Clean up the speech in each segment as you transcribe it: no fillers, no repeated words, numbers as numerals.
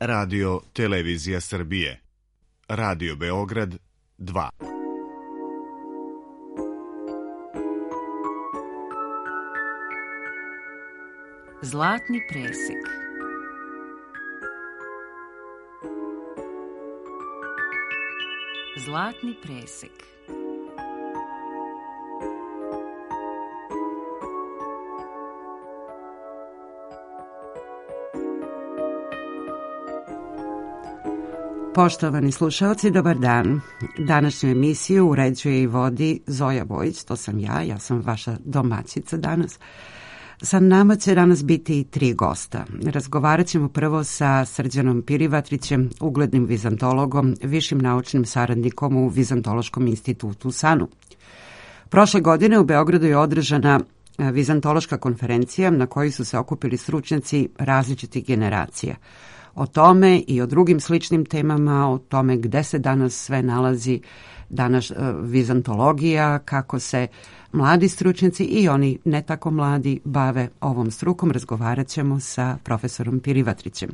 Radio Televizija Srbije. Radio Beograd 2. Zlatni presek. Zlatni presek. Poštovani slušalci, dobar dan. Današnju emisiju uređuje i vodi Zoja Vojić, to sam ja sam vaša domaćica danas. Sa nama će danas biti 3 gosta. Razgovarat ćemo prvo sa Srđanom Pirivatrićem, uglednim vizantologom, višim naučnim saradnikom u Vizantološkom institutu u SANU. Prošle godine u Beogradu je održana vizantološka konferencija na kojoj su se okupili stručnjaci različitih generacija. O tome i o drugim sličnim temama, o tome gde se danas sve nalazi danas vizantologija, kako se mladi stručnjaci i oni ne tako mladi bave ovom strukom, razgovarat ćemo sa profesorom Pirivatrićem.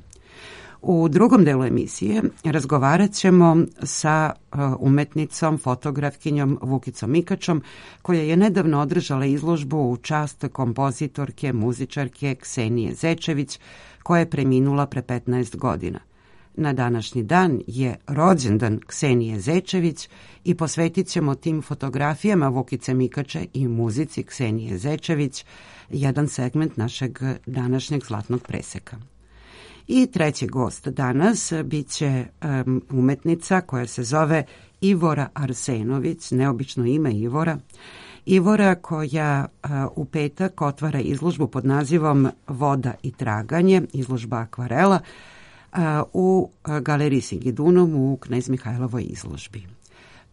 U drugom delu emisije razgovarat ćemo sa umetnicom, fotografkinjom Vukicom Mikačom, koja je nedavno održala izložbu u čast kompozitorke, muzičarke Ksenije Zečević, koja je preminula pre 15 godina. Na današnji dan je rođendan Ksenije Zečević i posvetit ćemo tim fotografijama Vukice Mikače i muzici Ksenije Zečević jedan segment našeg današnjeg zlatnog preseka. I treći gost danas bit će umetnica koja se zove Ivora Arsenović, neobično ime Ivora. Ivora koja u petak otvara izložbu pod nazivom Voda i traganje, izložba akvarela, u galeriji Sigidunum u Knez Mihajlovoj izložbi.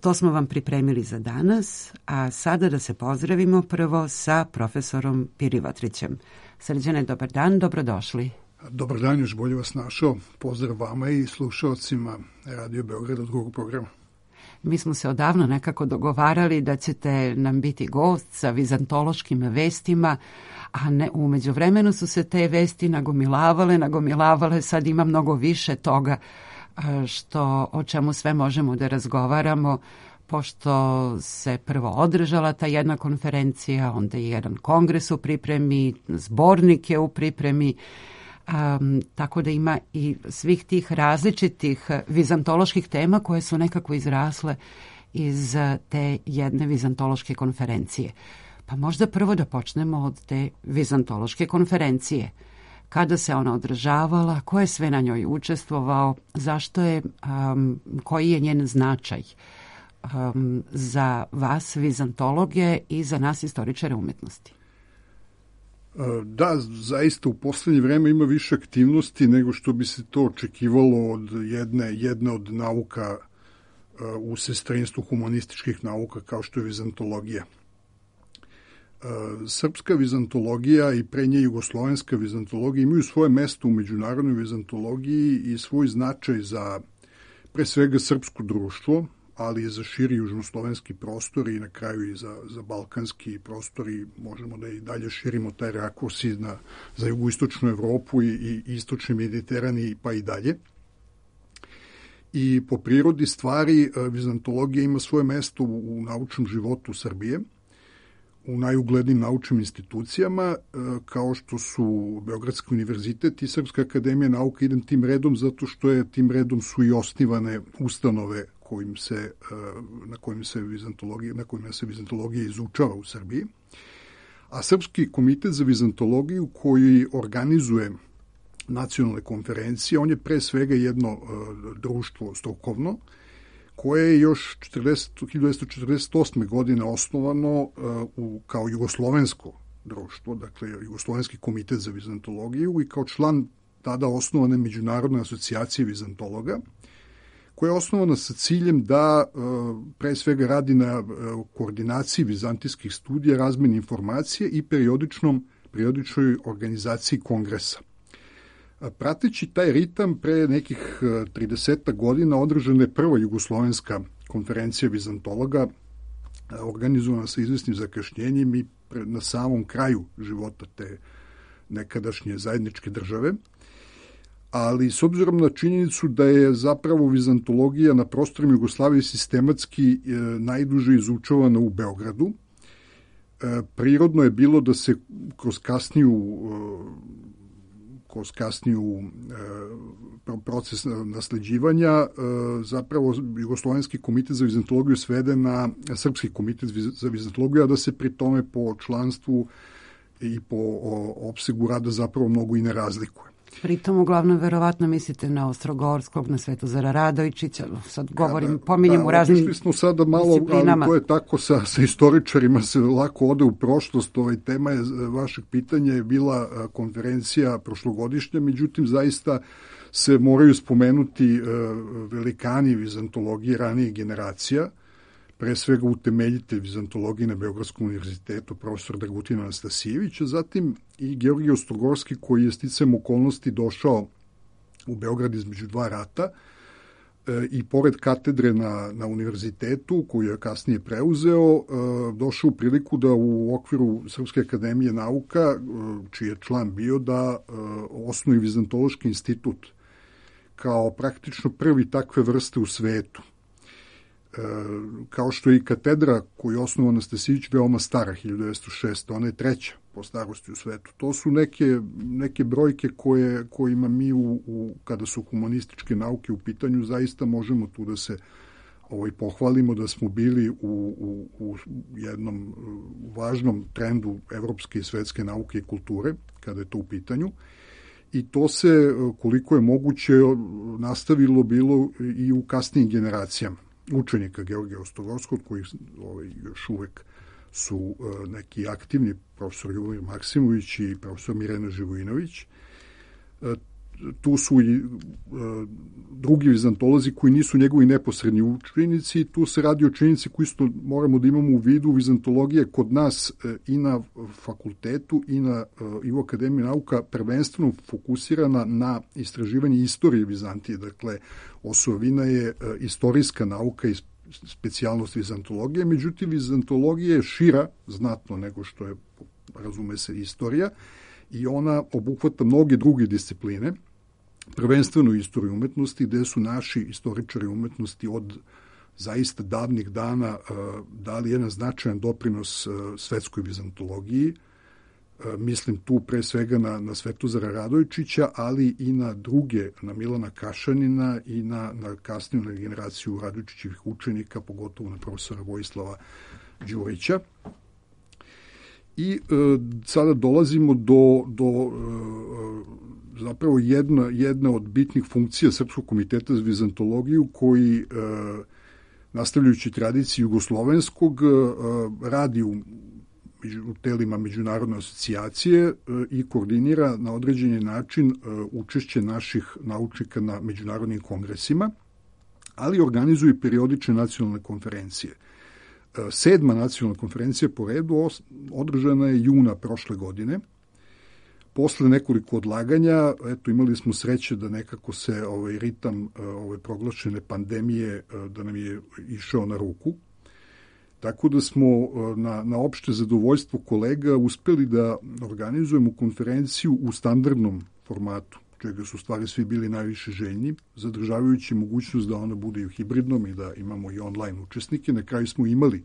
To smo vam pripremili za danas, a sada da se pozdravimo prvo sa profesorom Pirivatrićem. Srđane, dobar dan, dobrodošli. Dobar dan, još bolje vas našao. Pozdrav vama i slušalcima Radio Beograda drugog programa. Mi smo se odavno nekako dogovarali da ćete nam biti gost sa vizantološkim vestima, a ne, u međuvremenu su se te vesti nagomilavale, sad ima mnogo više toga o čemu sve možemo da razgovaramo, pošto se prvo održala ta jedna konferencija, onda je jedan kongres u pripremi, zbornik je u pripremi, tako da ima i svih tih različitih vizantoloških tema koje su nekako izrasle iz te jedne vizantološke konferencije. Pa možda prvo da počnemo od te vizantološke konferencije. Kada se ona održavala, ko je sve na njoj učestvovao, zašto je, koji je njen značaj za vas vizantologe i za nas istoričare umetnosti? Da, zaista u poslednje vreme ima više aktivnosti nego što bi se to očekivalo od jedne od nauka u sestrinstvu humanističkih nauka kao što je vizantologija. Srpska vizantologija i pre nje jugoslovenska vizantologija imaju svoje mesto u međunarodnoj vizantologiji i svoj značaj za pre svega srpsko društvo, ali i za širi južnoslovenski prostor i na kraju i za balkanski prostor i možemo da i dalje širimo taj rakurs i za jugoistočnu Evropu i istočni Mediteran pa i dalje. I po prirodi stvari vizantologija ima svoje mesto u naučnom životu Srbije, u najuglednijim naučnim institucijama, kao što su Beogradski univerzitet i Srpska akademija nauka. Idem tim redom zato što tim redom su i osnivane ustanove na kojima se vizantologija izučava u Srbiji. A Srpski komitet za vizantologiju koji organizuje nacionalne konferencije, on je pre svega jedno društvo strukovno, koje je još 1948. godine osnovano kao jugoslovensko društvo, dakle Jugoslovenski komitet za vizantologiju i kao član tada osnovane Međunarodne asocijacije vizantologa, koja je osnovana sa ciljem da pre svega radi na koordinaciji vizantijskih studija, razmeni informacije i periodičnoj organizaciji kongresa. Prateći taj ritam, pre nekih 30 godina održana je prva jugoslovenska konferencija vizantologa, organizovana sa izvesnim zakašnjenjem i na samom kraju života te nekadašnje zajedničke države. ali s obzirom na činjenicu da je zapravo vizantologija na prostorima Jugoslavije sistematski najduže izučavana u Beogradu, prirodno je bilo da se kroz kasniju proces nasleđivanja zapravo Jugoslovenski komitet za vizantologiju svede na Srpski komitet za vizantologiju, a da se pri tome po članstvu i po opsegu rada zapravo mnogo i ne razlikuje. Pritom uglavnom verovatno mislite na Ostrogorskog, na Svetozara Radojičića, sad pominjem u raznim disciplinama. Smo sada malo, ali to je tako sa istoričarima se lako ode u prošlost. Tema je vašeg pitanja je bila konferencija prošlogodišnja, međutim zaista se moraju spomenuti velikani vizantologije ranijih generacija, pre svega utemeljitelj vizantologije na Beogradskom univerzitetu, profesor Dragutin Anastasijević, a zatim i Georgije Ostrogorski, koji je sticajem okolnosti došao u Beograd između dva rata i pored katedre na univerzitetu, koju je kasnije preuzeo, došao u priliku da u okviru Srpske akademije nauka, čiji je član bio, da osnuje Vizantološki institut kao praktično prvi takve vrste u svetu. Kao što je i katedra koju je osnovao Anastasijević veoma stara, 1906. Ona je treća po starosti u svetu. To su neke brojke kojima mi kada su humanističke nauke u pitanju zaista možemo tu da se pohvalimo da smo bili u jednom važnom trendu evropske i svetske nauke i kulture kada je to u pitanju. I to se, koliko je moguće, nastavilo bilo i u kasnijim generacijama učenika Georgija Ostrogorskog, koji još uvek su neki aktivni, profesor Ljubomir Maksimović i profesor Mirena Živojinović. Tu su i drugi vizantolozi koji nisu njegovi neposredni učenici. Tu se radi o činjenici koju isto moramo da imamo u vidu. Vizantologija kod nas i na fakultetu i u Akademiji nauka prvenstveno fokusirana na istraživanje istorije Vizantije. Dakle, osovina je istorijska nauka i specijalnost vizantologije. Međutim, vizantologija je šira znatno nego što je, razume se, istorija, i ona obuhvata mnoge druge discipline, prvenstveno istoriju umetnosti, gde su naši istoričari umetnosti od zaista davnih dana dali jedan značajan doprinos svetskoj vizantologiji. Mislim tu pre svega na Svetozara Radojičića, ali i na druge, na Milana Kašanina i na kasniju generaciju Radojičićevih učenika, pogotovo na profesora Vojislava Đurića. I sada dolazimo do zapravo jedna od bitnih funkcija Srpskog komiteta za vizantologiju, koji, nastavljajući tradiciju jugoslovenskog, radi u telima međunarodne asocijacije i koordinira na određeni način učešće naših naučnika na međunarodnim kongresima, ali organizuje periodične nacionalne konferencije. 7. nacionalna konferencija po redu održana je juna prošle godine. Posle nekoliko odlaganja, imali smo sreće da nekako se ritam proglašene pandemije da nam je išao na ruku. Tako da smo na opšte zadovoljstvo kolega uspeli da organizujemo konferenciju u standardnom formatu, čega su stvari svi bili najviše željni, zadržavajući mogućnost da ona bude i u hibridnom i da imamo i online učesnike. Na kraju smo imali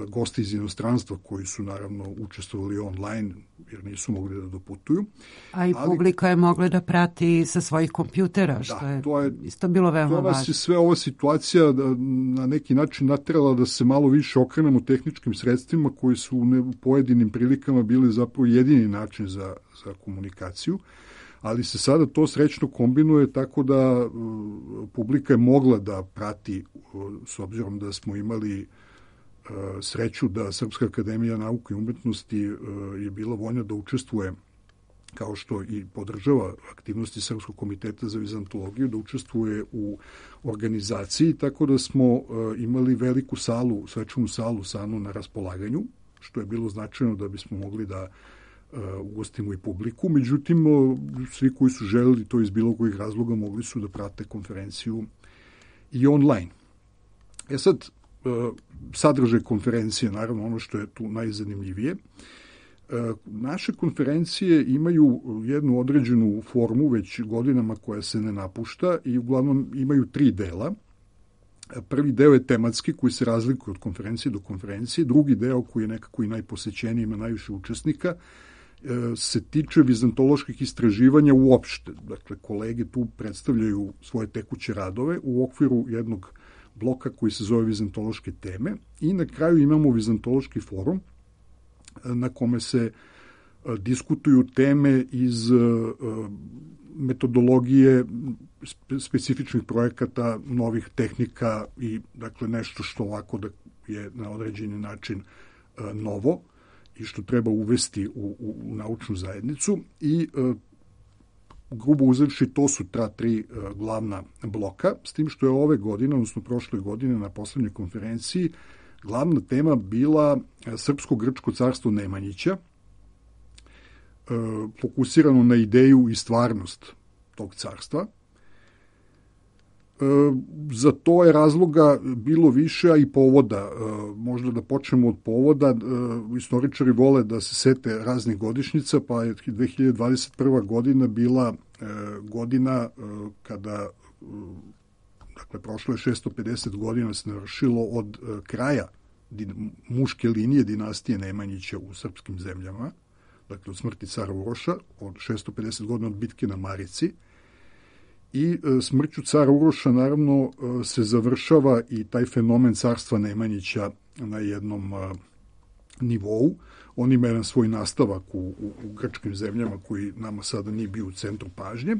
goste iz inostranstva koji su naravno učestvovali online jer nisu mogli da doputuju. Ali publika je mogla da prati sa svojih kompjutera, što je isto bilo veoma važno. To nas je sve ova situacija na neki način naterala da se malo više okrenemo tehničkim sredstvima koji su u pojedinim prilikama bili zapravo jedini način za komunikaciju, ali se sada to srećno kombinuje tako da publika je mogla da prati, s obzirom da smo imali sreću da Srpska akademija nauke i umetnosti je bila voljna da učestvuje, kao što i podržava aktivnosti Srpskog komiteta za vizantologiju, da učestvuje u organizaciji, tako da smo imali veliku salu, svečanu salu SANU na raspolaganju, što je bilo značajno da bismo mogli da ugostimo i publiku. Međutim, svi koji su želeli to iz bilo kojih razloga mogli su da prate konferenciju i online. Sad, sadržaj konferencije, naravno ono što je tu najzanimljivije, Naše konferencije imaju jednu određenu formu već godinama koja se ne napušta i uglavnom imaju 3 dela. Prvi deo je tematski koji se razlikuje od konferencije do konferencije. Drugi deo koji je nekako i najposećeniji, ima najviše učesnika, se tiče vizantoloških istraživanja uopšte. Dakle, kolege tu predstavljaju svoje tekuće radove u okviru jednog bloka koji se zove vizantološke teme i na kraju imamo vizantološki forum na kome se diskutuju teme iz metodologije specifičnih projekata, novih tehnika i dakle nešto što ovako da je na određeni način novo i što treba uvesti u naučnu zajednicu i grubo uzevši to su ta 3 glavna bloka, s tim što je ove godine, odnosno prošle godine na poslednjoj konferenciji glavna tema bila Srpsko-grčko carstvo Nemanjića, fokusirano na ideju i stvarnost tog carstva. Za to je razloga bilo više, a i povoda. Možda da počnemo od povoda. Istoričari vole da se sete raznih godišnjica, pa je 2021. godina bila godina kada, dakle, prošlo je 650 godina se navršilo od kraja muške linije dinastije Nemanjića u srpskim zemljama, dakle od smrti cara Uroša, od 650 godina od bitke na Marici. I smrću cara Uroša naravno se završava i taj fenomen carstva Nemanjića na jednom nivou. On ima jedan svoj nastavak u grčkim zemljama koji nama sada nije bio u centru pažnje,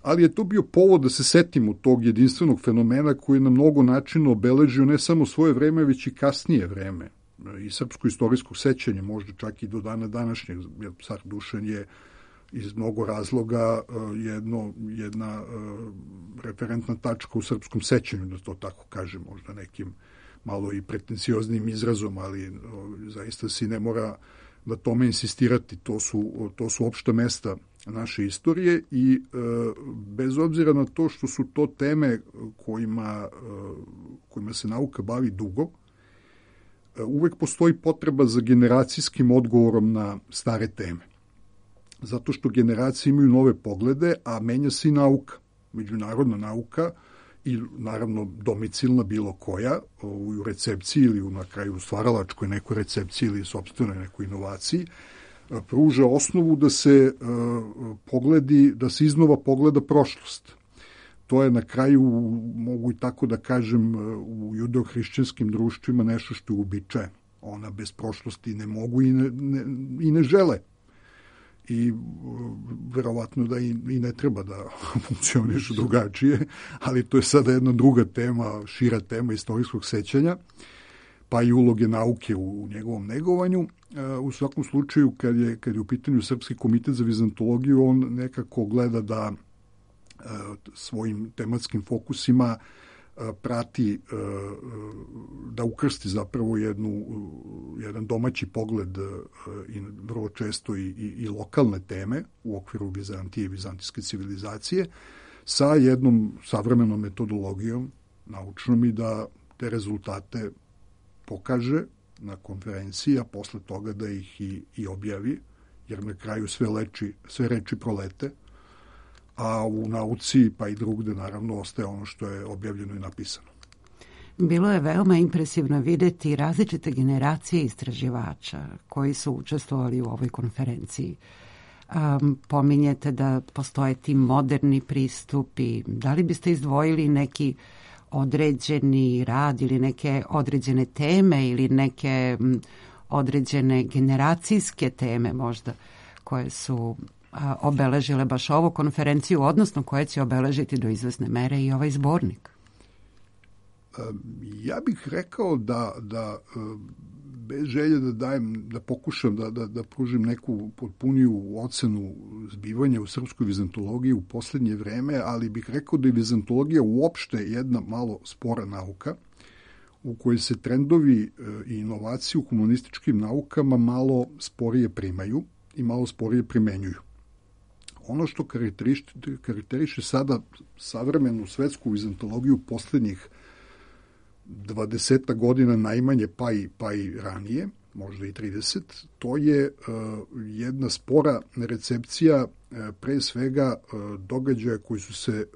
ali je to bio povod da se setimo tog jedinstvenog fenomena koji je na mnogo načina obeležio ne samo svoje vreme, već i kasnije vreme i srpsko-istorijskog sećanja, možda čak i do dana današnjeg, jer car Dušan je iz mnogo razloga jedna referentna tačka u srpskom sećanju, da to tako kažem, možda nekim malo i pretencijoznim izrazom, ali zaista se ne mora na tome insistirati. To su opšta mesta naše istorije i bez obzira na to što su to teme kojima se nauka bavi dugo, uvek postoji potreba za generacijskim odgovorom na stare teme. Zato što generacije imaju nove poglede, a menja se i nauka, međunarodna nauka i naravno domicilna bilo koja, u recepciji ili na kraju stvaralačkoj nekoj recepciji ili sopstvenoj nekoj inovaciji, pruža osnovu da se da se iznova pogleda prošlost. To je na kraju, mogu i tako da kažem, u judeo-hrišćanskim društvima nešto što je uobičajeno. Ona bez prošlosti ne mogu i ne žele. I verovatno da i ne treba da funkcionišu drugačije, ali to je sada jedna druga tema, šira tema istorijskog sećanja, pa i uloge nauke u njegovom negovanju. U svakom slučaju, kad je u pitanju Srpski komitet za vizantologiju, on nekako gleda da svojim tematskim fokusima prati, da ukrsti zapravo jedan domaći pogled i vrlo često i lokalne teme u okviru Vizantije i vizantijske civilizacije sa jednom savremenom metodologijom naučnom i da te rezultate pokaže na konferenciji, a posle toga da ih i objavi, jer na kraju sve reči prolete, a u nauci pa i drugde naravno ostaje ono što je objavljeno i napisano. Bilo je veoma impresivno videti različite generacije istraživača koji su učestvovali u ovoj konferenciji. Pominjete da postoje ti moderni pristupi. Da li biste izdvojili neki određeni rad ili neke određene teme ili neke određene generacijske teme možda koje su obeležile baš ovu konferenciju, odnosno koje će obeležiti do izvesne mere i ovaj zbornik? Ja bih rekao da bez želje da pokušam da pružim neku potpuniju ocenu zbivanja u srpskoj vizantologiji u poslednje vreme, ali bih rekao da je vizantologija uopšte jedna malo spora nauka u kojoj se trendovi i inovacije u humanističkim naukama malo sporije primaju i malo sporije primenjuju. Ono što karakteriše sada savremenu svetsku vizantologiju poslednjih 20 godina najmanje, pa i ranije, možda i 30, to je jedna spora recepcija pre svega događaja koji su se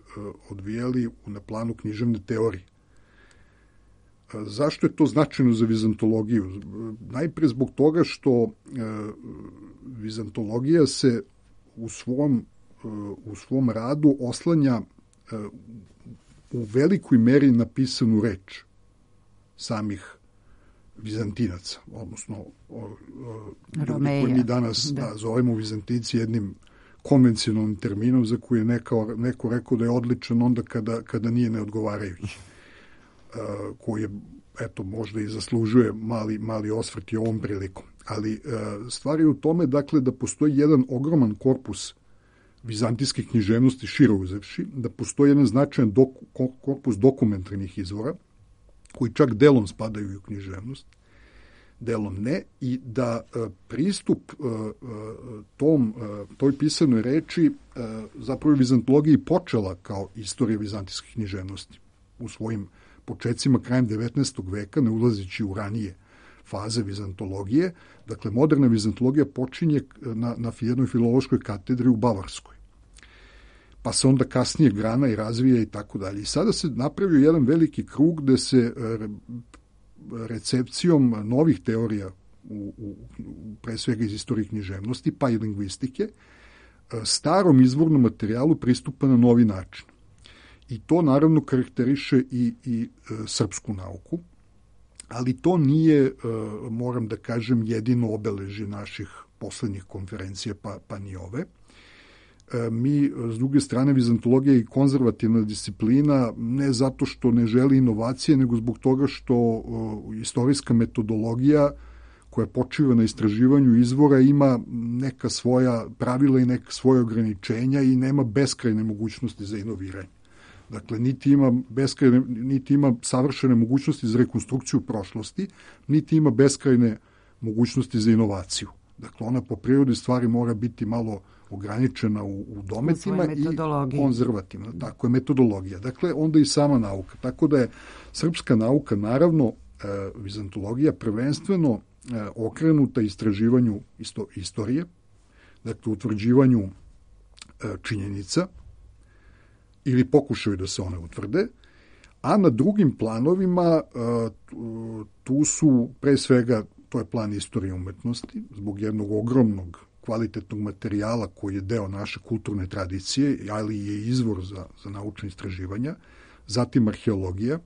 odvijali na planu književne teorije. Zašto je to značajno za vizantologiju? Najpre zbog toga što vizantologija se u svom radu oslanja u velikoj meri na pisanu reč samih Vizantinaca, odnosno koji mi danas zovemo Vizantinci jednim konvencionalnim terminom za koji je neko rekao da je odličan onda kada nije neodgovarajući, koji je, eto, možda i zaslužuje mali osvrt i ovom prilikom. Ali stvar je u tome, dakle, da postoji jedan ogroman korpus vizantijske književnosti šire uzevši, da postoji jedan značajan korpus dokumentarnih izvora, koji čak delom spadaju u književnost, delom ne, i da pristup toj pisanoj reči zapravo vizantologiji počela kao istorija vizantijske književnosti u svojim počecima krajem 19. veka, ne ulazeći u ranije faze vizantologije. Dakle, moderna vizantologija počinje na jednoj filološkoj katedri u Bavarskoj, pa se onda kasnije grana i razvija i tako dalje. I sada se napravio jedan veliki krug gde se recepcijom novih teorija, pre svega iz istorije književnosti, pa i lingvistike, starom izvornom materijalu pristupa na novi način. I to naravno karakteriše i srpsku nauku, ali to nije, moram da kažem, jedino obeležje naših poslednjih konferencija, pa ni ove. Mi, s druge strane, vizantologija je i konzervativna disciplina, ne zato što ne želi inovacije, nego zbog toga što istorijska metodologija koja počiva na istraživanju izvora ima neka svoja pravila i neka svoja ograničenja i nema beskrajne mogućnosti za inoviranje. Dakle, niti ima savršene mogućnosti za rekonstrukciju prošlosti, niti ima beskrajne mogućnosti za inovaciju. Dakle, ona po prirodi stvari mora biti malo ograničena u dometima i konzervativna. Tako je metodologija. Dakle, onda i sama nauka. Tako da je srpska nauka, naravno, vizantologija prvenstveno okrenuta istraživanju istorije, dakle, utvrđivanju činjenica ili pokušaju da se one utvrde, a na drugim planovima tu su pre svega, to je plan istorije umetnosti, zbog jednog ogromnog kvalitetnog materijala koji je deo naše kulturne tradicije, ali je izvor za naučne istraživanja, zatim arheologija,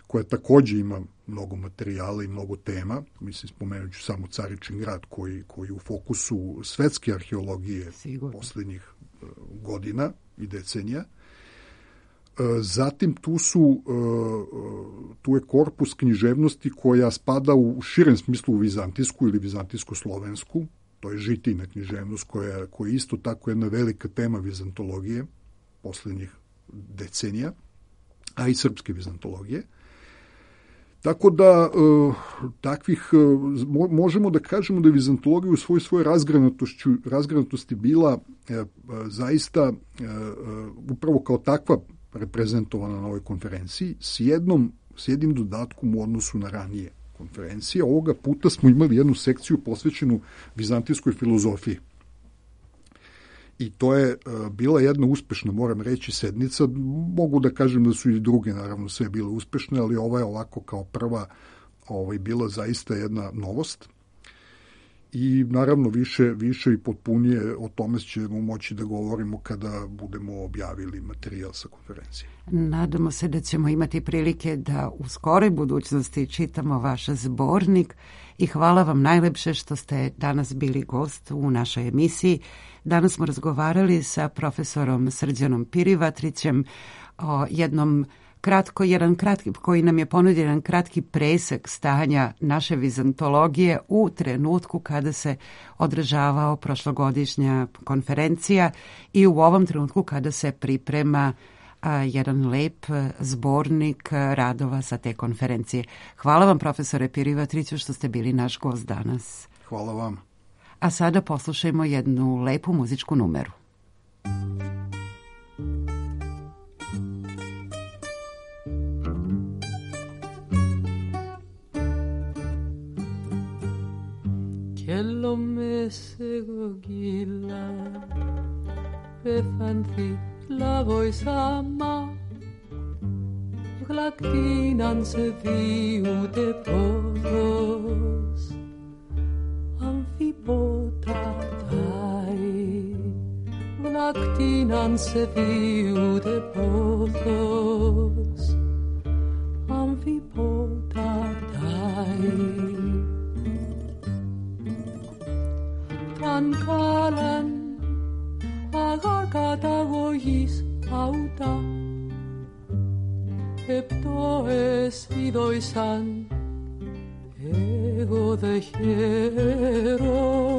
koja takođe ima mnogo materijala i mnogo tema. Mislim, spomenut ću samo Caričin grad koji u fokusu svetske arheologije poslednjih godina i decenija. Zatim tu je korpus književnosti koja spada u širem smislu u vizantijsku ili vizantijsko-slovensku. To je žitijna književnost koja je isto tako jedna velika tema vizantologije poslednjih decenija, a i srpske vizantologije. Tako da možemo da kažemo da je vizantologija u svojoj razgranatosti bila zaista upravo kao takva reprezentovana na ovoj konferenciji s jednim dodatkom u odnosu na ranije konferencije. Ovoga puta smo imali jednu sekciju posvećenu vizantijskoj filozofiji. I to je bila jedna uspešna, moram reći, sednica. Mogu da kažem da su i druge, naravno, sve bile uspešne, ali ova je ovako kao prva bila zaista jedna novost. I naravno više i potpunije o tome ćemo moći da govorimo kada budemo objavili materijal sa konferencije. Nadamo se da ćemo imati prilike da u skoroj budućnosti čitamo vaš zbornik i hvala vam najlepše što ste danas bili gost u našoj emisiji. Danas smo razgovarali sa profesorom Srđanom Pirivatrićem o koji nam je ponudio jedan kratki presek stanja naše vizantologije u trenutku kada se održavao prošlogodišnja konferencija i u ovom trenutku kada se priprema jedan lep zbornik radova sa te konferencije. Hvala vam, profesore Pirivatriću, što ste bili naš gost danas. Hvala vam. A sada poslušajmo jednu lepu muzičku numeru. lo mesego gila pefanthi la voisama glaktinan se viude podos amfipotatai glaktinan se viude podos amfipotatai Trancalan agarcatagogis auta Eptoes idoisan ego de hero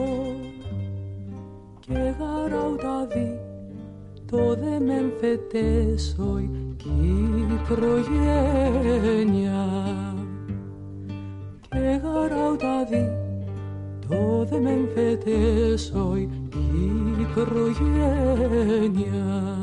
que garaudadi to de memfetesoi ki progenia que garaudadi to de memfetesoi ki progenia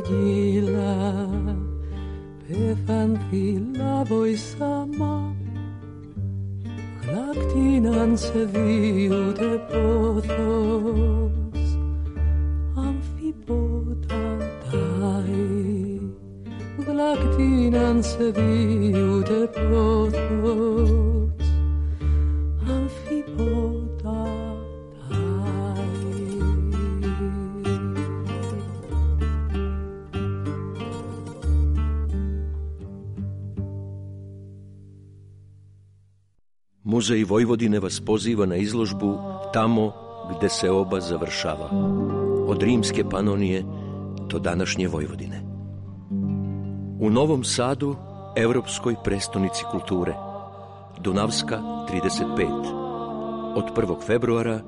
Gila pefanthi la voisama glaktinan se viude pothos amfipotatai glaktinan se viude pothos amfipotatai Muzej Vojvodine vas poziva na izložbu Tamo gde se oba završava, od rimske Panonije do današnje Vojvodine. U Novom Sadu, evropskoj prestonici kulture, Dunavska 35, od 1. februara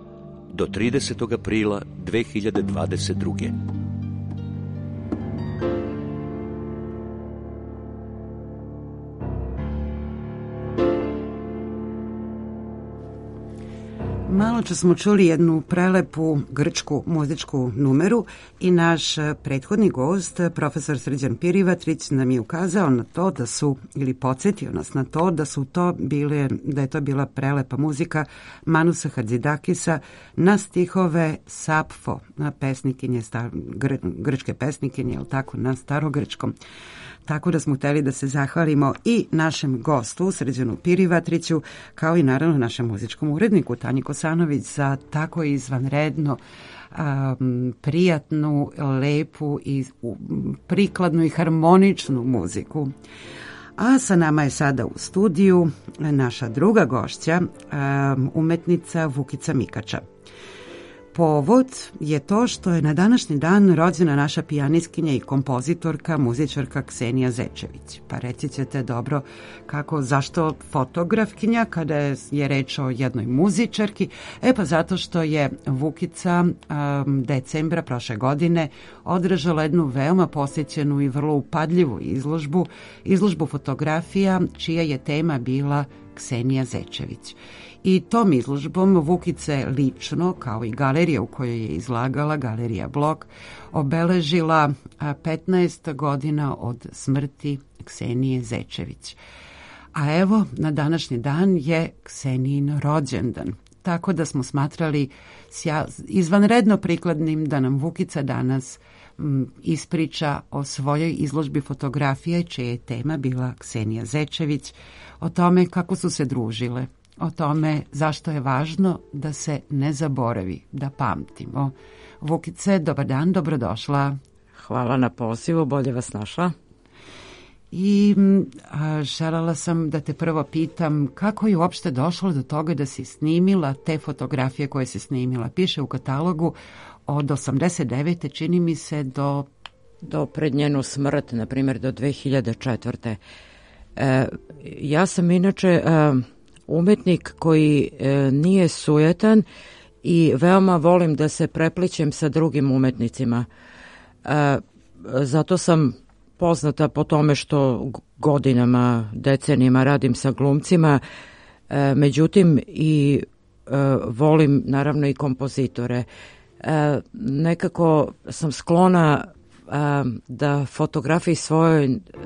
do 30. aprila 2022. Maločas smo čuli jednu prelepu grčku muzičku numeru i naš prethodni gost, profesor Srđan Pirivatrić, nam je ukazao na to da su, ili podsjetio nas na to, da je to bila prelepa muzika Manusa Hadzidakisa na stihove Sapfo, na pesnikinje, grčke pesnikinje, jel tako, na starogrčkom. Tako da smo hteli da se zahvalimo i našem gostu, Srđanu Pirivatriću, kao i naravno našem muzičkom uredniku, Tanji Kosanović, za tako izvanredno prijatnu, lepu i prikladnu i harmoničnu muziku. A sa nama je sada u studiju naša druga gošća, umetnica Vukica Mikača. Povod je to što je na današnji dan rođena naša pijanistkinja i kompozitorka, muzičarka Ksenija Zečević. Pa reći ćete dobro zašto fotografkinja kada je reč o jednoj muzičarki? Pa zato što je Vukica decembra prošle godine održala jednu veoma posjećenu i vrlo upadljivu izložbu fotografija čija je tema bila Ksenija Zečević. I tom izložbom Vukice lično, kao i galerija u kojoj je izlagala, Galerija Blok, obeležila 15 godina od smrti Ksenije Zečević. A evo, na današnji dan je Ksenijin rođendan. Tako da smo smatrali izvanredno prikladnim da nam Vukica danas ispriča o svojoj izložbi fotografije, čija je tema bila Ksenija Zečević, o tome kako su se družile, o tome zašto je važno da se ne zaboravi, da pamtimo. Vukice, dobar dan, dobrodošla. Hvala na pozivu, bolje vas našla. I željela sam da te prvo pitam kako je uopšte došlo do toga da si snimila te fotografije koje si snimila. Piše u katalogu od 89. čini mi se do pred njenu smrt, na primjer do 2004. Ja sam inače umetnik koji nije sujetan i veoma volim da se preplićem sa drugim umetnicima. Zato sam poznata po tome što godinama, decenijama radim sa glumcima, međutim i volim naravno i kompozitore. Nekako sam sklona da fotografiji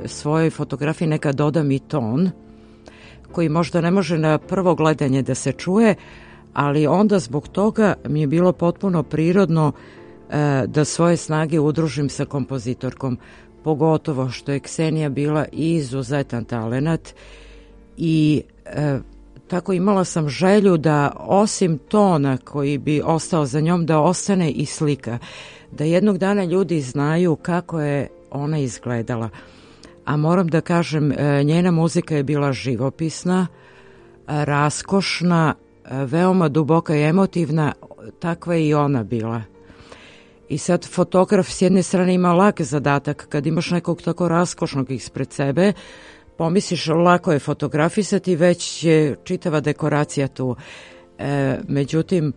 svojoj fotografiji nekad dodam i ton koji možda ne može na prvo gledanje da se čuje, ali onda zbog toga mi je bilo potpuno prirodno da svoje snage udružim sa kompozitorkom, pogotovo što je Ksenija bila izuzetan talenat i tako imala sam želju da osim tona koji bi ostao za njom, da ostane i slika, da jednog dana ljudi znaju kako je ona izgledala. A moram da kažem, njena muzika je bila živopisna, raskošna, veoma duboka i emotivna, takva je i ona bila. I sad fotograf s jedne strane ima lak zadatak, kad imaš nekog tako raskošnog ispred sebe, pomisliš lako je fotografisati, već je čitava dekoracija tu. Međutim,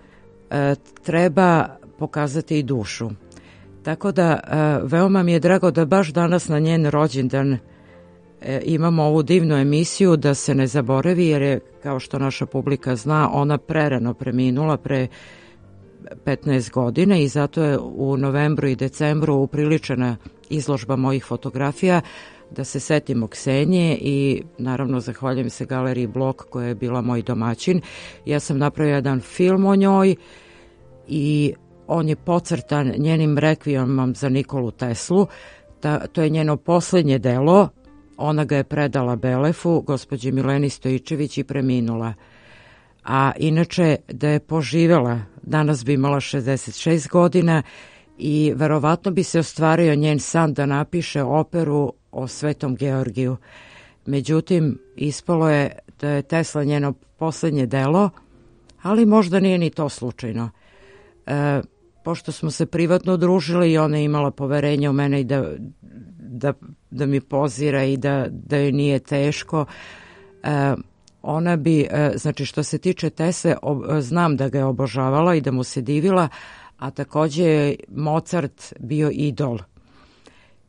treba pokazati i dušu. Tako da veoma mi je drago da baš danas na njen rođendan imamo ovu divnu emisiju, da se ne zaboravi, jer je, kao što naša publika zna, ona prerano preminula pre 15 godina i zato je u novembru i decembru upriličena izložba mojih fotografija da se setimo Ksenije i naravno zahvaljujem se Galeriji Blok koja je bila moj domaćin. Ja sam napravila jedan film o njoj i on je pocrtan njenim rekvijemom za Nikolu Teslu. To je njeno posljednje delo. Ona ga je predala Belefu, gospođi Mileni Stojičević, i preminula. A inače, da je poživela, danas bi imala 66 godina i verovatno bi se ostvario njen san da napiše operu o Svetom Georgiju. Međutim, ispalo je da je Tesla njeno posljednje delo, ali možda nije ni to slučajno. Pošto smo se privatno družili i ona je imala poverenje u mene i da mi pozira i da joj nije teško, ona bi, znači što se tiče Tesle, znam da ga je obožavala i da mu se divila, a također je Mozart bio idol.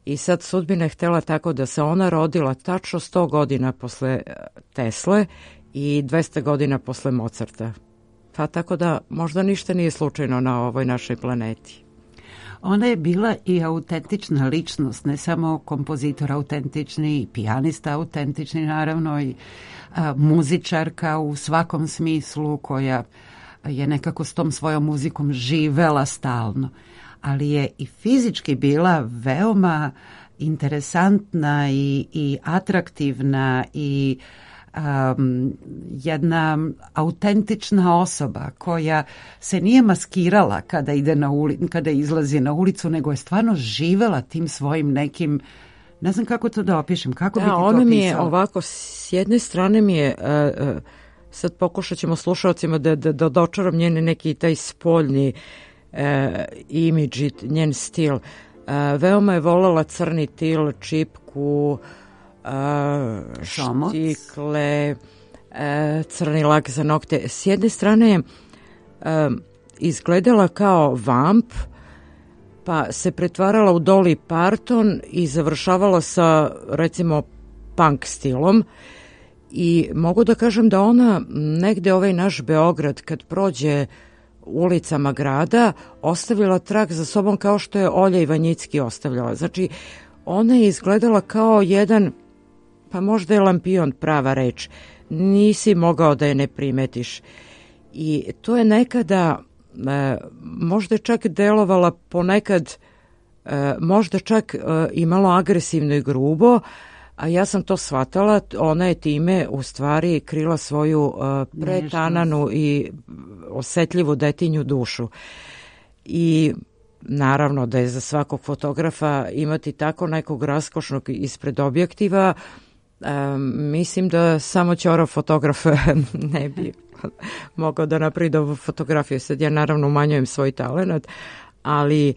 I sad sudbina je htjela tako da se ona rodila tačno 100 godina posle Tesle i 200 godina posle Mozarta. Pa tako da možda ništa nije slučajno na ovoj našoj planeti. Ona je bila i autentična ličnost, ne samo kompozitor autentični, i pijanista autentični, naravno, i muzičarka u svakom smislu, koja je nekako s tom svojom muzikom živela stalno. Ali je i fizički bila veoma interesantna i atraktivna i jedna autentična osoba koja se nije maskirala kada izlazi na ulicu, nego je stvarno živela tim svojim nekim, ne znam kako to da opišem, kako bi ti to opisala? Ona mi je ovako, s jedne strane mi je, sad pokušat ćemo slušalcima da dočaram njene neki taj spoljni imidž i njen stil. Veoma je voljela crni til, čipku, štikle, crni lak za nokte. S jedne strane izgledala kao vamp, pa se pretvarala u Dolly Parton i završavala sa, recimo, punk stilom. I mogu da kažem da ona negde ovaj naš Beograd, kad prođe ulicama grada, ostavila trag za sobom kao što je Olja Ivanjicki ostavljala. Znači, ona je izgledala kao jedan, pa možda je lampion prava reč, nisi mogao da je ne primetiš. I to je nekada, možda čak delovala ponekad, možda čak imalo agresivno i grubo, a ja sam to shvatala, ona je time u stvari krila svoju pretananu i osetljivu detinju dušu. I naravno da je za svakog fotografa imati tako nekog raskošnog ispred objektiva, mislim da samo ćorav fotograf ne bi mogao da napravi dobu fotografiju. Sad ja naravno umanjujem svoj talent, ali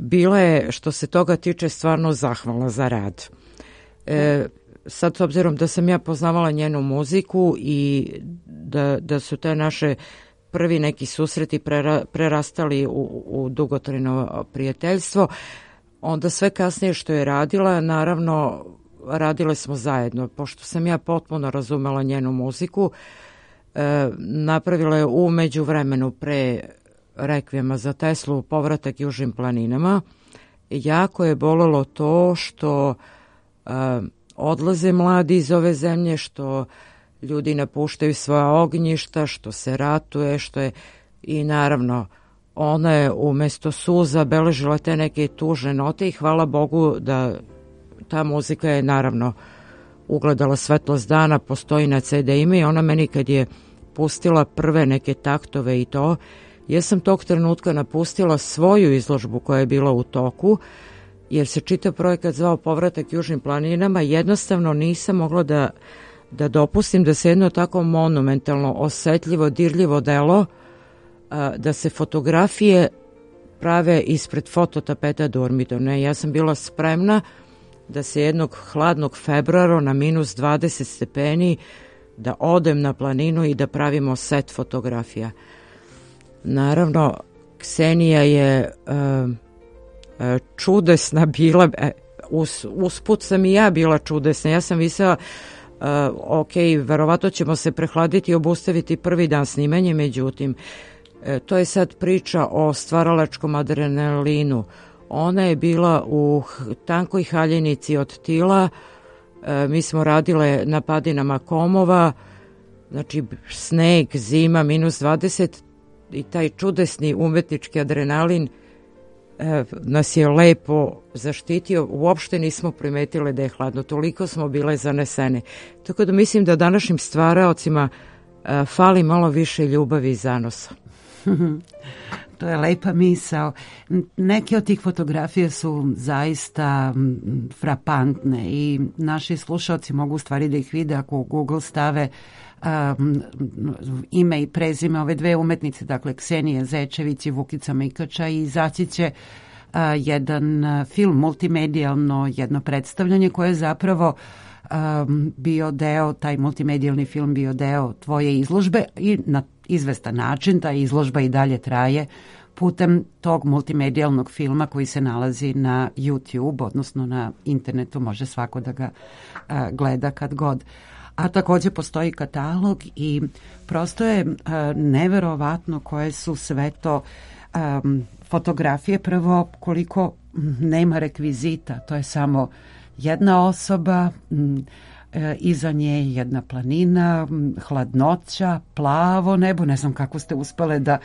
bila je, što se toga tiče, stvarno zahvalna za rad. Sad, s obzirom da sam ja poznavala njenu muziku i da su te naše prvi neki susreti prerastali u dugotrajno prijateljstvo, onda sve kasnije što je radila, naravno radile smo zajedno. Pošto sam ja potpuno razumela njenu muziku, napravila je u međuvremenu pre rekvijema za Teslu povratak južnim planinama. Jako je bolelo to što odlaze mladi iz ove zemlje, što ljudi napuštaju svoja ognjišta, što se ratuje, što je i naravno ona je umesto suza beležila te neke tužne note i hvala Bogu da ta muzika je naravno ugledala svetlost dana, postoji na CD-ima i ona meni kad je pustila prve neke taktove i to, ja sam tog trenutka napustila svoju izložbu koja je bila u toku, jer se čitav projekat zvao Povratak južnim planinama, jednostavno nisam mogla da dopustim da se jedno tako monumentalno, osetljivo, dirljivo delo, da se fotografije prave ispred fototapeta Durmidona. Ja sam bila spremna da se jednog hladnog februara na minus 20 stepeni da odem na planinu i da pravimo set fotografija. Naravno, Ksenija je čudesna bila, usput sam i ja bila čudesna. Ja sam mislila, ok, verovatno ćemo se prehladiti i obustaviti prvi dan snimanja, međutim, to je sad priča o stvaralačkom adrenalinu. Ona je bila u tankoj haljinici od tila, mi smo radile na padinama Komova, znači sneg, zima, minus 20 i taj čudesni umetnički adrenalin nas je lepo zaštitio, uopšte nismo primetile da je hladno, toliko smo bile zanesene. Tako da mislim da današnjim stvaraocima fali malo više ljubavi i zanosa. To je lepa misao. Neke od tih fotografija su zaista frapantne i naši slušalci mogu u stvari da ih vide ako u Google stave ime i prezime ove dve umetnice, dakle Ksenije Zečević i Vukica Mikača, i izaći će jedan film, multimedijalno jedno predstavljanje koje je zapravo bio deo, taj multimedijalni film bio deo tvoje izložbe i na izvestan način ta izložba i dalje traje putem tog multimedijalnog filma koji se nalazi na YouTube, odnosno na internetu, može svako da ga gleda kad god. A takođe postoji katalog i prosto je neverovatno koje su sve to fotografije. Prvo, koliko nema rekvizita, to je samo jedna osoba, iza nje jedna planina, hladnoća, plavo nebo, ne znam kako ste uspele da...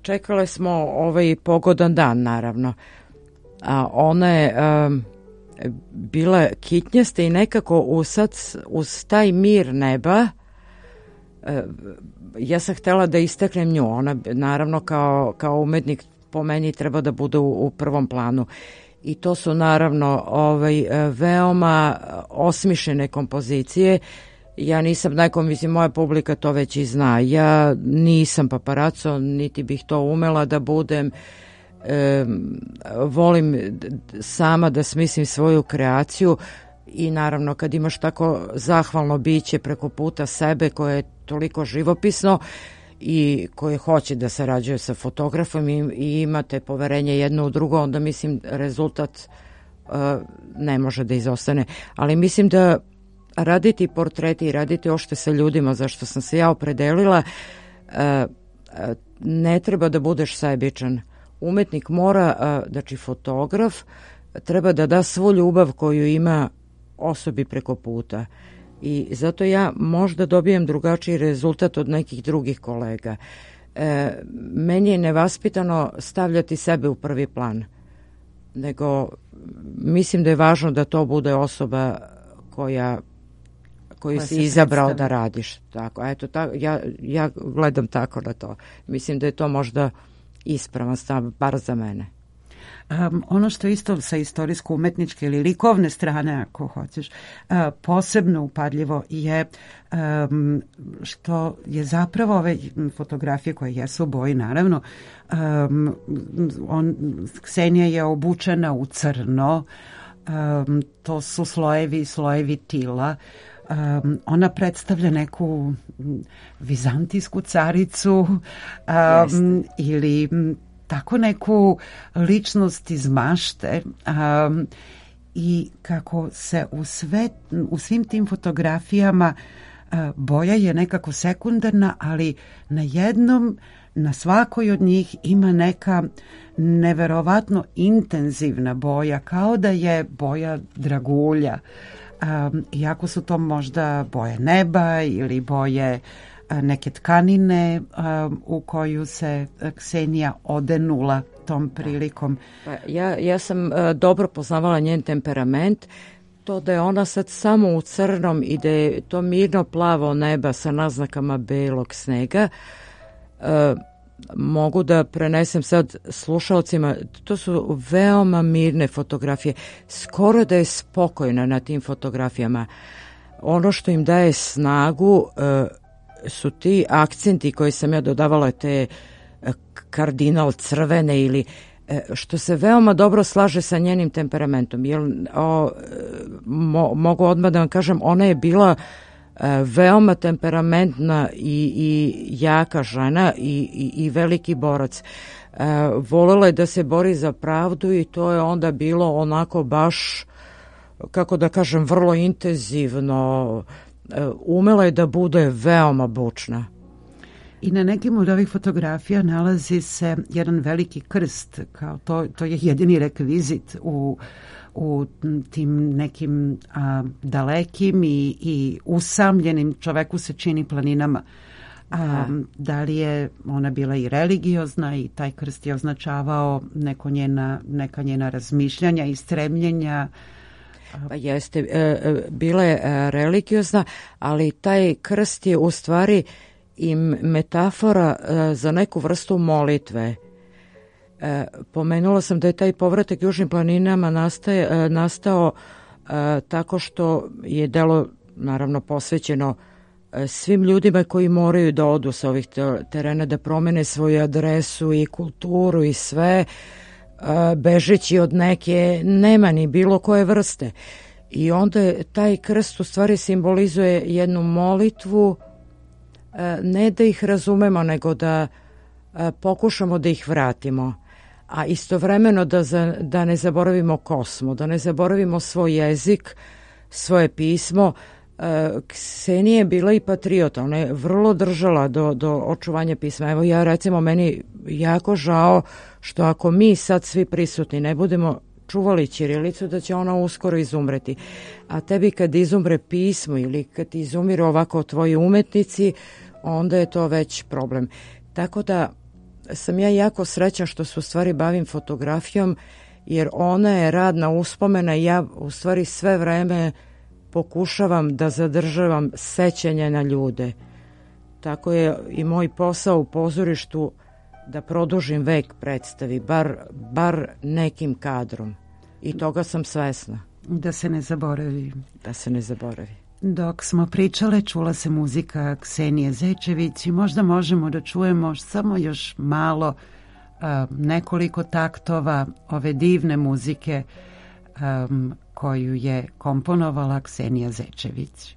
Čekale smo ovaj pogodan dan, naravno. Ona je bila kitnjasta i nekako uz taj mir neba ja sam htela da istaknem nju. Ona naravno kao umetnik po meni treba da bude u prvom planu. I to su naravno veoma osmišljene kompozicije. Ja nisam mislim, moja publika to već i zna. Ja nisam paparaco, niti bih to umela da budem. Volim sama da smislim svoju kreaciju i naravno kad imaš tako zahvalno biće preko puta sebe koje je toliko živopisno i koje hoće da sarađuje sa fotografom i imate poverenje jedno u drugo, onda mislim rezultat ne može da izostane. Ali mislim da raditi portreti i raditi ošte sa ljudima, zašto sam se ja opredelila, ne treba da budeš sebičan. Umetnik mora, znači fotograf, treba da da svu ljubav koju ima osobi preko puta. I zato ja možda dobijem drugačiji rezultat od nekih drugih kolega. Meni je nevaspitano stavljati sebe u prvi plan, nego mislim da je važno da to bude osoba koju si izabrao da radiš. Tako, eto, ja gledam tako na to. Mislim da je to možda ispravan stav, bar za mene. Ono što isto sa istorijsko-umetničke ili likovne strane, ako hoćeš, posebno upadljivo je što je zapravo ove fotografije koje jesu u boji, naravno, Ksenija je obučena u crno, to su slojevi tila, ona predstavlja neku vizantijsku caricu ili tako neku ličnost iz mašte i kako se u svim tim fotografijama boja je nekako sekundarna, ali na svakoj od njih ima neka neverovatno intenzivna boja, kao da je boja dragulja. Iako su to možda boje neba ili boje neke tkanine u koju se Ksenija odenula tom prilikom. Ja sam dobro poznavala njen temperament, to da je ona sad samo u crnom i da je to mirno plavo neba sa naznakama belog snega, mogu da prenesem sad slušalcima, to su veoma mirne fotografije, skoro da je spokojna na tim fotografijama. Ono što im daje snagu su ti akcenti koji sam ja dodavala, te kardinal crvene ili što se veoma dobro slaže sa njenim temperamentom. Mogu odmah da vam kažem, ona je bila veoma temperamentna i jaka žena i veliki borac. Volela je da se bori za pravdu i to je onda bilo onako baš, kako da kažem, vrlo intenzivno. Umela je da bude veoma bučna. I na nekim od ovih fotografija nalazi se jedan veliki krst, kao to je jedini rekvizit u tim nekim dalekim i usamljenim, čoveku se čini, planinama. Da li je ona bila i religiozna i taj krst je označavao neka njena razmišljanja i stremljenja? Pa jeste, bila je religiozna, ali taj krst je u stvari i metafora za neku vrstu molitve. Pomenula sam da je taj povratak južnim planinama nastao tako što je delo naravno posvećeno svim ljudima koji moraju da odu sa ovih terena, da promene svoju adresu i kulturu i sve, bežeći od neke nemani bilo koje vrste. I onda taj krst u stvari simbolizuje jednu molitvu, ne da ih razumemo, nego da pokušamo da ih vratimo, a istovremeno da ne zaboravimo ko smo, da ne zaboravimo svoj jezik, svoje pismo. Ksenija je bila i patriota, ona je vrlo držala do očuvanja pisma. Evo ja recimo, meni jako žao što ako mi sad svi prisutni ne budemo čuvali ćirilicu, da će ona uskoro izumreti. A tebi kad izumre pismo ili kad izumiru ovako tvoji umetnici, onda je to već problem. Tako da sam ja jako srećna što se u stvari bavim fotografijom, jer ona je radna uspomena i ja u stvari sve vreme pokušavam da zadržavam sećanje na ljude. Tako je i moj posao u pozorištu, da produžim vek predstavi, bar nekim kadrom. I toga sam svesna. Da se ne zaboravi. Da se ne zaboravi. Dok smo pričale, čula se muzika Ksenije Zečević i možda možemo da čujemo samo još malo, nekoliko taktova ove divne muzike koju je komponovala Ksenija Zečević.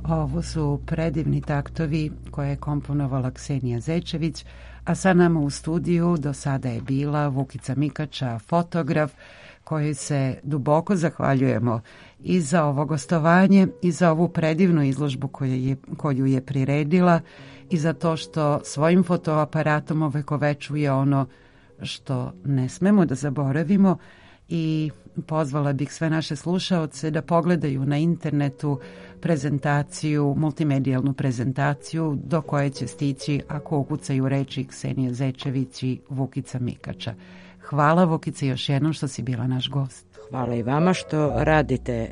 Ovo su predivni taktovi koje je komponovala Ksenija Zečević, a sa nama u studiju do sada je bila Vukica Mikača, fotograf, kojoj se duboko zahvaljujemo i za ovo gostovanje i za ovu predivnu izložbu koju je priredila i za to što svojim fotoaparatom ovekovečuje ono što ne smemo da zaboravimo. I pozvala bih sve naše slušaoce da pogledaju na internetu prezentaciju, multimedijalnu prezentaciju do koje će stići ako ukucaju reči Ksenija Zečević i Vukica Mikača. Hvala, Vukice, još jednom što si bila naš gost. Hvala i vama što radite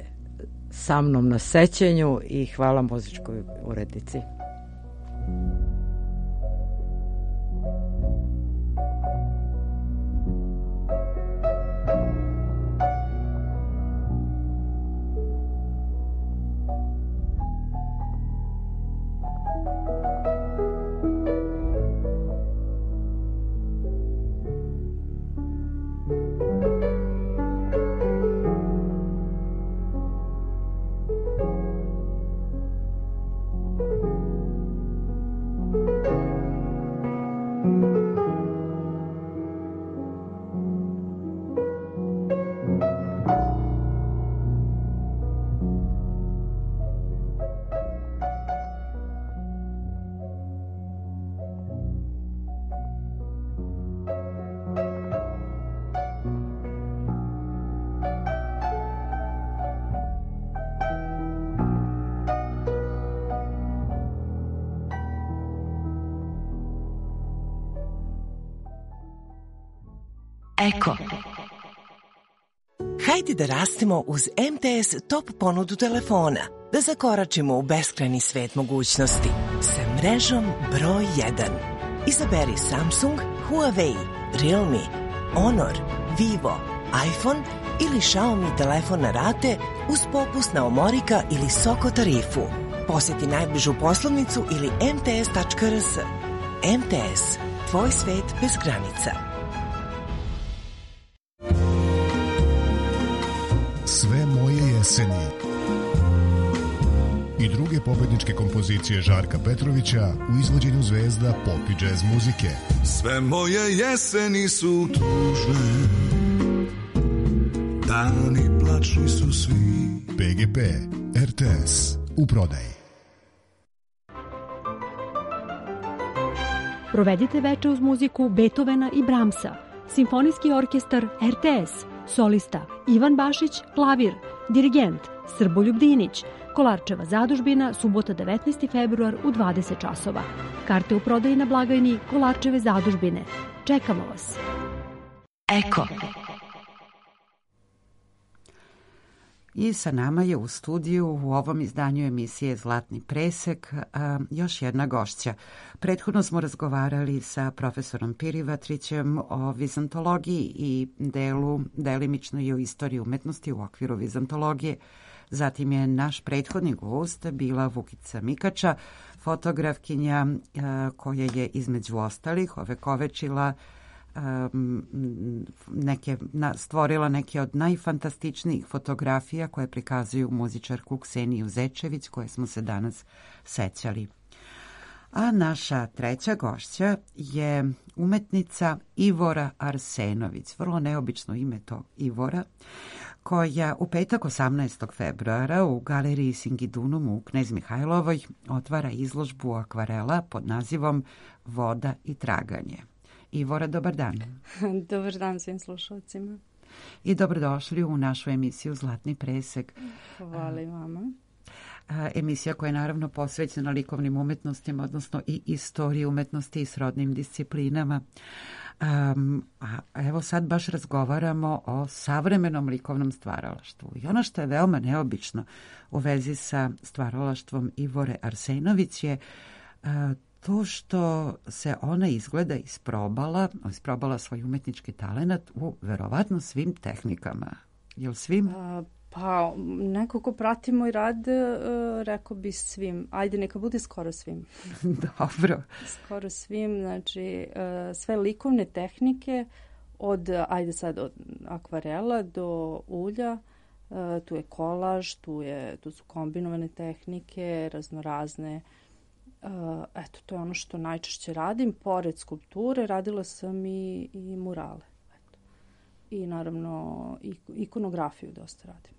sa mnom na sećenju i hvala muzičkoj urednici. Eko. Hajde da rastemo uz MTS top ponudu telefona, da zakoračimo u beskrajni svet mogućnosti sa mrežom broj 1. Izaberi Samsung, Huawei, Realme, Honor, Vivo, iPhone ili Xiaomi telefon na rate uz popust na Omorika ili Soko tarifu. Posjeti najbližu poslovnicu ili mts.rs. MTS, tvoj svet bez granica. Sve moje jeseni i druge pobedničke kompozicije Žarka Petrovića u izvođenju zvezda pop i džez muzike. Sve moje jeseni su tužne, dani plačni su svi. PGP, RTS, u prodaji. Provedite veče uz muziku Beethovena i Brahmsa, Simfonijski orkestar RTS, solista Ivan Bašić, klavir, dirigent Srboljub Dinić, Kolarčeva zadužbina, subota 19. februar u 20 časova. Karte u prodaji na blagajni Kolarčeve zadužbine. Čekamo vas. Eko. I sa nama je u studiju u ovom izdanju emisije Zlatni presek još jedna gošća. Prethodno smo razgovarali sa profesorom Pirivatrićem o vizantologiji i delimično i o istoriji umetnosti u okviru vizantologije. Zatim je naš prethodni gost bila Vukica Mikača, fotografkinja koja je između ostalih ovekovečila stvorila neke od najfantastičnijih fotografija koje prikazuju muzičarku Kseniju Zečević, koje smo se danas sećali. A naša treća gošća je umetnica Ivora Arsenović, vrlo neobično ime to Ivora, koja u petak 18. februara u galeriji Singidunum u Knez Mihajlovoj otvara izložbu akvarela pod nazivom Voda i traganje. Ivora, dobar dan. Dobar dan svim slušalcima. I dobrodošli u našu emisiju Zlatni presek. Hvala i vama. Emisija koja je naravno posvećena likovnim umetnostima, odnosno i istoriji umetnosti i srodnim disciplinama. A evo sad baš razgovaramo o savremenom likovnom stvaralaštvu. I ono što je veoma neobično u vezi sa stvaralaštvom Ivore Arsenović je to što se ona izgleda isprobala svoj umetnički talenat u verovatno svim tehnikama. Jel svim? Pa neko ko prati moj rad, rekao bi svim. Ajde, neka bude skoro svim. Dobro. Skoro svim, znači sve likovne tehnike od akvarela do ulja, tu je kolaž, tu su kombinovane tehnike, raznorazne. Eto, to je ono što najčešće radim. Pored skulpture radila sam i murale. Eto. I naravno ikonografiju dosta radim.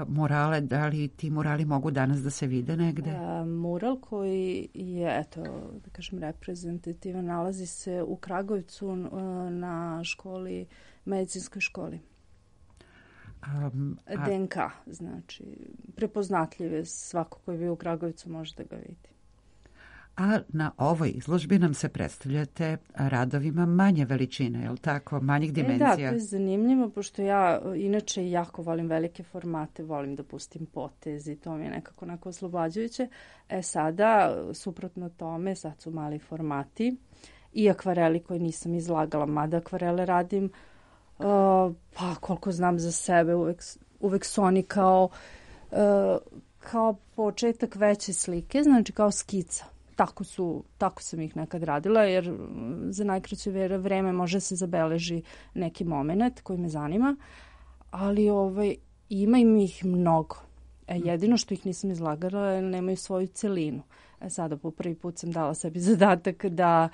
Murale, da li ti murali mogu danas da se vide negde? Mural koji je, eto, da kažem, reprezentativan, nalazi se u Kragujevcu na medicinskoj školi. DNK, znači, prepoznatljive, svako koji je bio u Kragujevcu može da ga vidi. A na ovoj izložbi nam se predstavljate radovima manje veličine, je li tako? Manjih dimenzija? Da, to je zanimljivo, pošto ja inače jako volim velike formate, volim da pustim potez i to mi je nekako oslobađajuće. Sada, suprotno tome, sad su mali formati i akvareli koje nisam izlagala, mada akvarele radim, pa koliko znam za sebe, uvek su oni kao početak veće slike, znači kao skica. Tako sam ih nekad radila, jer za najkraće vreme može se zabeleži neki moment koji me zanima, ali ima im ih mnogo. Jedino što ih nisam izlagala je nemaju svoju celinu. Sada po prvi put sam dala sebi zadatak da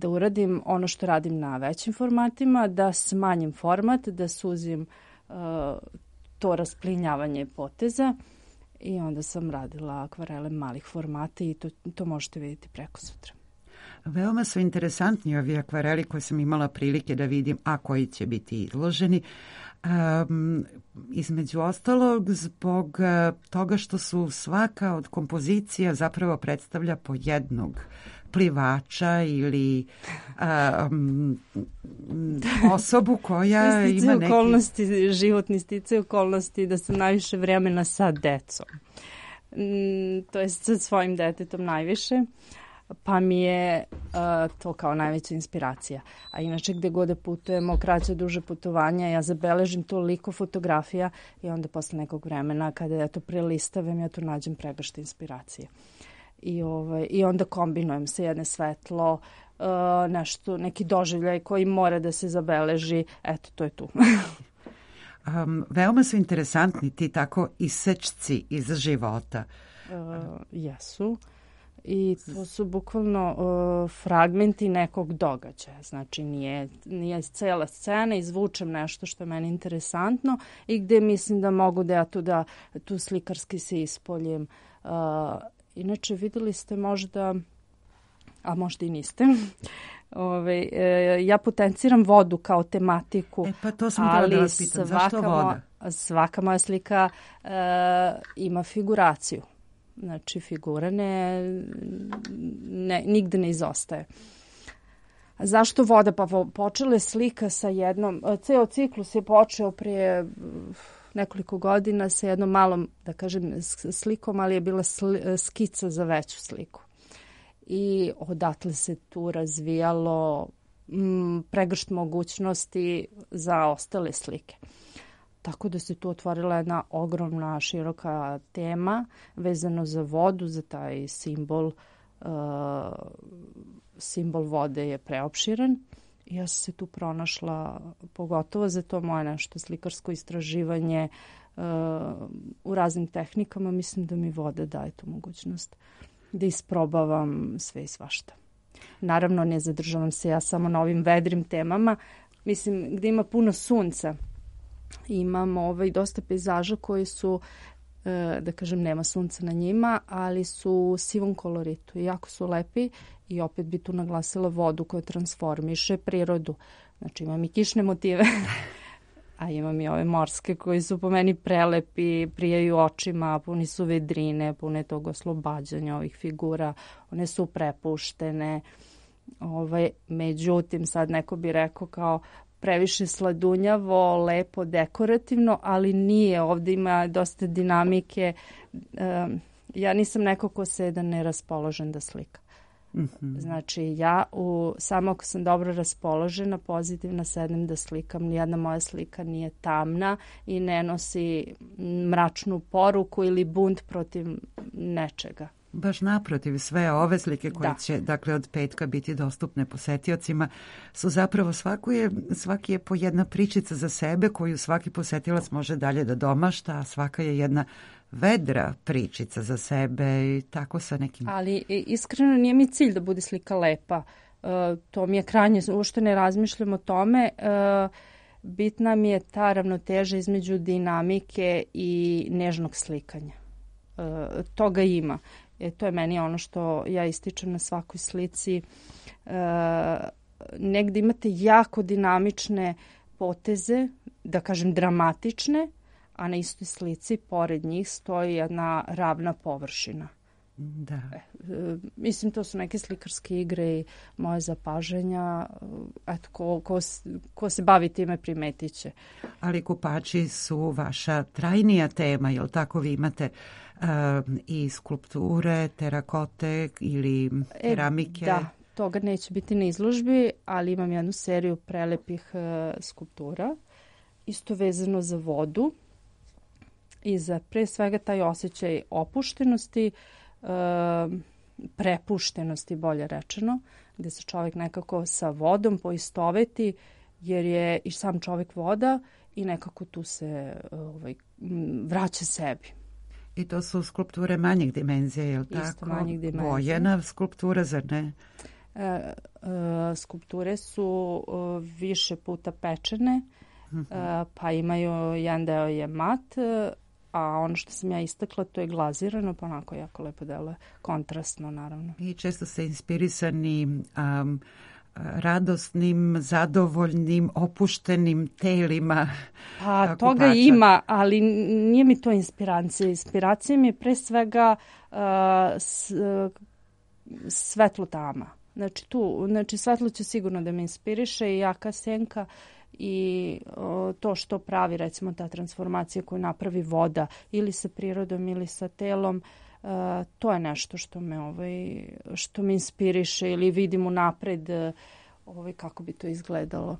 uradim ono što radim na većim formatima, da smanjim format, da suzim to rasplinjavanje poteza. I onda sam radila akvarele malih formata i to možete vidjeti preko sutra. Veoma su interesantni ovi akvareli koje sam imala prilike da vidim, a koji će biti izloženi. Između ostalog zbog toga što su svaka od kompozicija zapravo predstavlja po jednog plivača ili osobu koja ima neki... okolnosti, životni sticaj okolnosti da sam najviše vremena sa decom. To je sa svojim detetom najviše. Pa mi je to kao najveća inspiracija. A inače gde god da putujemo, kraće duže putovanja, ja zabeležim toliko fotografija i onda posle nekog vremena kada ja to prelistavim, ja tu nađem pregršt inspiracije. I onda kombinujem se jedne svetlo, nešto, neki doživljaj koji mora da se zabeleži, eto, to je tu. Veoma su interesantni ti tako isečci iz života. Jesu. I to su bukvalno fragmenti nekog događaja. Znači nije cela scena, izvučem nešto što je meni interesantno i gde mislim da mogu da ja tu slikarski se ispoljim. Inače videli ste možda, a možda i niste, ja potenciram vodu kao tematiku. Pa to sam htjela da vas pitam, zašto voda? Svaka moja slika ima figuraciju. Znači, figura nigde ne izostaje. Zašto voda? Pa počela je slika sa jednom... Ceo ciklus je počeo prije nekoliko godina sa jednom malom, da kažem, slikom, ali je bila skica za veću sliku. I odatle se tu razvijalo pregršt mogućnosti za ostale slike. Tako da se tu otvorila jedna ogromna, široka tema vezano za vodu, za taj simbol. Simbol vode je preopširan. Ja sam se tu pronašla, pogotovo za to moje nešto slikarsko istraživanje u raznim tehnikama. Mislim da mi voda daje tu mogućnost da isprobavam sve i svašta. Naravno, ne zadržavam se ja samo na ovim vedrim temama. Mislim, gde ima puno sunca. Imamo dosta pejzaža koji su, da kažem, nema sunca na njima, ali su u sivom koloritu i jako su lepi i opet bi tu naglasila vodu koja transformiše prirodu. Znači imam i kišne motive, a imam i ove morske koji su po meni prelepi, prijaju očima, puni su vedrine, pune tog oslobađanja ovih figura, one su prepuštene. Međutim, sad neko bi rekao kao previše sladunjavo, lepo, dekorativno, ali nije. Ovdje ima dosta dinamike. Ja nisam neko ko se da ne raspoložen da slika. Mm-hmm. Znači, ja samo ako sam dobro raspoložena, pozitivna, sednem da slikam. Nijedna moja slika nije tamna i ne nosi mračnu poruku ili bunt protiv nečega. Baš naprotiv, sve ove slike koje će, dakle, od petka biti dostupne posetiocima su zapravo svaki je po jedna pričica za sebe koju svaki posetilac može dalje da domašta, a svaka je jedna vedra pričica za sebe i tako sa nekim... Ali iskreno nije mi cilj da bude slika lepa. To mi je krajnje, uopšte ne razmišljam o tome. Bitna mi je ta ravnoteža između dinamike i nežnog slikanja. Toga ima. To je meni ono što ja ističem na svakoj slici. Negdje imate jako dinamične poteze, da kažem dramatične, a na istoj slici pored njih stoji jedna ravna površina. Da. Mislim, to su neke slikarske igre i moje zapažanja. Eto, ko se bavi time primetit će. Ali kupači su vaša trajnija tema, jel tako? Vi imate i skulpture, terakote ili keramike? Da, toga neće biti na izložbi, ali imam jednu seriju prelepih skulptura, isto vezano za vodu i za pre svega taj osjećaj opuštenosti, prepuštenosti, bolje rečeno, gde se čovjek nekako sa vodom poistoveti, jer je i sam čovjek voda i nekako tu se vraća sebi. I to su skulpture manjih dimenzija, je li tako? Isto manjih dimenzija. Bojena skulptura, zar ne? Skulpture su više puta pečene, pa imaju, jedan deo je mat, a ono što sam ja istakla to je glazirano, pa onako jako lepo deluje, kontrastno naravno. I često ste inspirisani radosnim, zadovoljnim, opuštenim telima. Pa toga ima, ali nije mi to inspiracija. Inspiracija mi je pre svega svetlo tama. Znači svetlo će sigurno da me inspiriše i jaka senka i to što pravi recimo ta transformacija koju napravi voda ili sa prirodom ili sa telom. To je nešto što me inspiriše ili vidim unapred kako bi to izgledalo,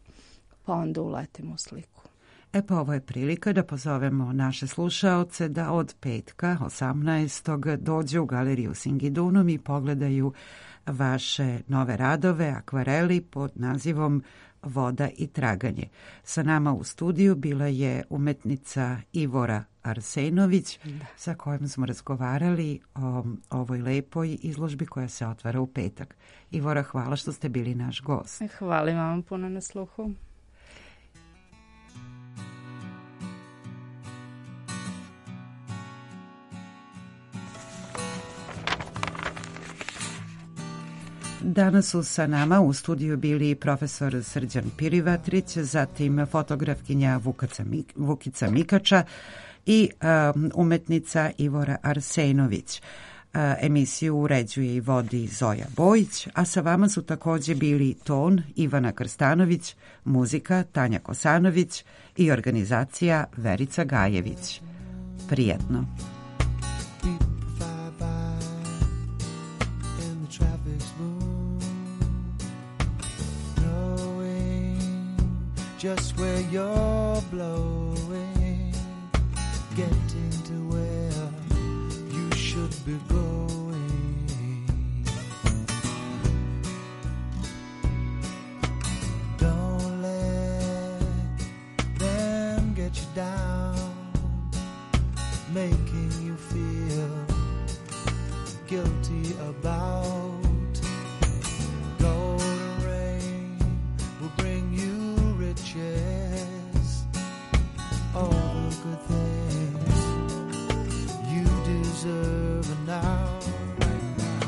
pa onda uletim u sliku. Pa ovo je prilika da pozovemo naše slušaoce da od petka 18. dođu u galeriju Singidunum i pogledaju vaše nove radove, akvareli pod nazivom Voda i traganje. Sa nama u studiju bila je umetnica Ivora Arsenović, sa kojom smo razgovarali o ovoj lepoj izložbi koja se otvara u petak. Ivora, hvala što ste bili naš gost. Hvala vam puno na sluhu. Danas su sa nama u studiju bili profesor Srđan Pirivatrić, zatim fotografkinja Vukica Mikača i umetnica Ivora Arsenović. Emisiju uređuje i vodi Zoja Bojić, a sa vama su također bili ton Ivana Krstanović, muzika Tanja Kosanović i organizacija Verica Gajević. Prijetno. Just where you're blowing, getting to where you should be going. Don't let them get you down, making you feel guilty about golden rain will bring you all the good things you deserve now, right now.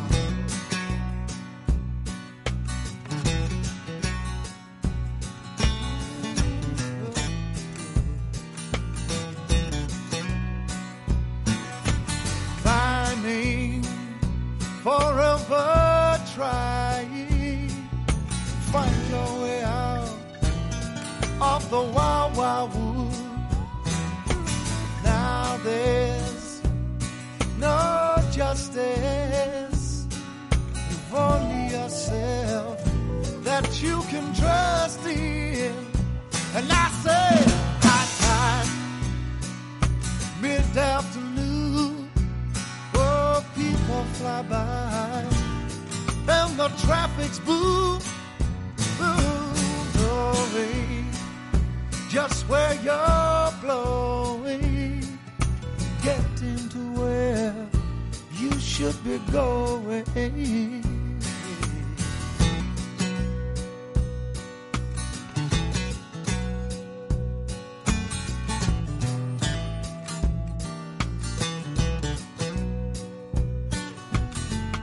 Climbing, forever trying, find your way out of the wild, wild wood. Now there's no justice. You've only yourself that you can trust in. And I say, high time, mid-afternoon, oh, people fly by, and the traffic's boom, boom, blowing. Just where you're blowing, getting to where you should be going.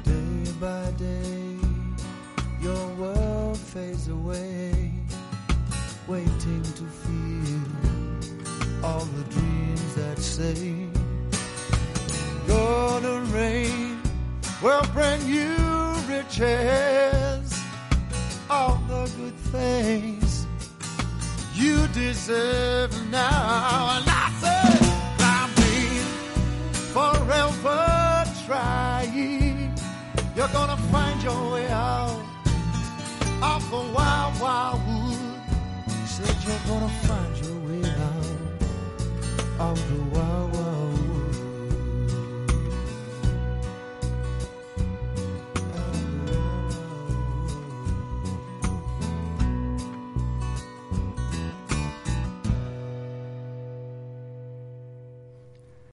Day by day, your world fades away, waiting to feel all the dreams that say golden rain will bring you riches, all the good things you deserve now. And I say, I'm being forever trying. You're gonna find your way out of the wild, wild wood. Said you're gonna find your way out of the wild